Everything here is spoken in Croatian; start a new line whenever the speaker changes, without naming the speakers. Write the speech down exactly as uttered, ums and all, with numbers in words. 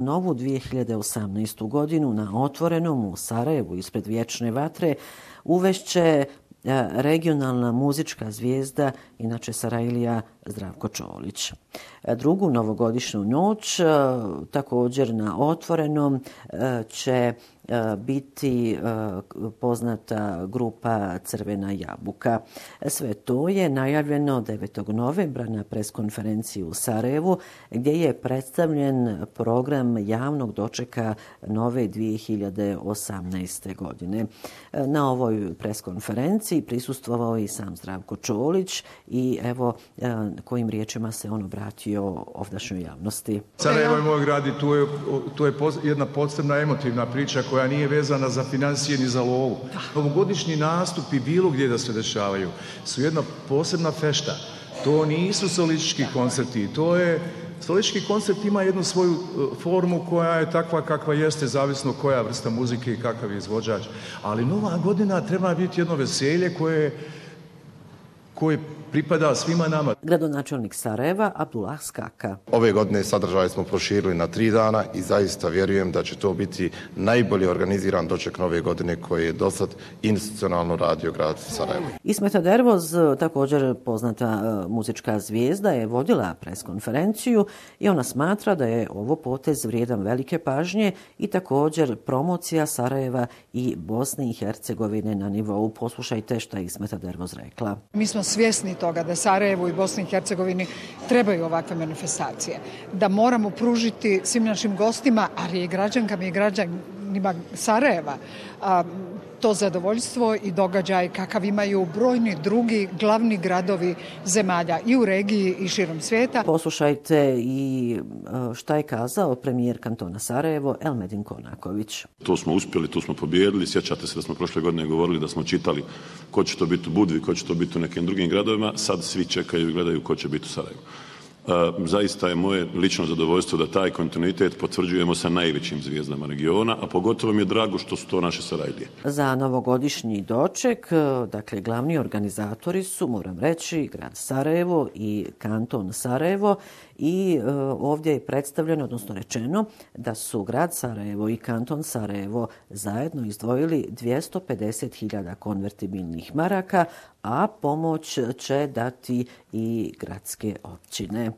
Novu dvije hiljade osamnaestu. godinu na Otvorenom u Sarajevu ispred Vječne vatre uvešće regionalna muzička zvijezda, inače Sarajlija, Zdravko Čolić. Drugu novogodišnju noć također na Otvorenom će biti poznata grupa Crvena jabuka. Sve to je najavljeno devetog novembra na preskonferenciji u Sarajevu, gdje je predstavljen program javnog dočeka nove dvije hiljade osamnaeste. godine. Na ovoj preskonferenciji prisustvovao i sam Zdravko Čolić i evo kojim riječima se on obratio ovdašnjoj javnosti.
Sarajevo je moj grad i tu je, tu je jedna posebna emotivna priča koja nije vezana za financije ni za lovu. Novogodišnji nastupi bilo gdje da se dešavaju su jedna posebna fešta. To nisu solistički koncerti, to je solistički koncert ima jednu svoju formu koja je takva kakva jeste, zavisno koja vrsta muzike i kakav je izvođač. Ali Nova godina treba biti jedno veselje koje koje pripada svima nama.
Gradonačelnik Sarajeva Abdullah Skaka.
Ove godine sadržaj smo proširili na tri dana i zaista vjerujem da će to biti najbolje organiziran doček nove godine koji je dosad institucionalno radio grad Sarajevo.
Ismeta Dervoz, također poznata muzička zvijezda, je vodila preskonferenciju i ona smatra da je ovo potez vrijedan velike pažnje i također promocija Sarajeva i Bosne i Hercegovine na nivou. Poslušajte šta je Ismeta Dervoz rekla.
Mi smo svjesni toga da Sarajevu i Bosni i Hercegovini trebaju ovakve manifestacije. Da moramo pružiti svim našim gostima, ali i građankama i građanima Sarajeva, a, to zadovoljstvo i događaj kakav imaju brojni drugi glavni gradovi zemalja i u regiji i širom svijeta.
Poslušajte i šta je kazao premijer kantona Sarajevo Elmedin Konaković.
To smo uspjeli, to smo pobijedili. Sjećate se da smo prošle godine govorili da smo čitali ko će to biti u Budvi, ko će to biti u nekim drugim gradovima. Sad svi čekaju i gledaju ko će biti u Sarajevu. Zaista je moje lično zadovoljstvo da taj kontinuitet potvrđujemo sa najvećim zvijezdama regiona, a pogotovo mi je drago što su to naše Sarajlije.
Za novogodišnji doček, dakle, glavni organizatori su, moram reći, grad Sarajevo i kanton Sarajevo i e, ovdje je predstavljeno, odnosno rečeno, da su grad Sarajevo i kanton Sarajevo zajedno izdvojili dvjesto pedeset hiljada konvertibilnih maraka, a pomoć će dati i gradske općine.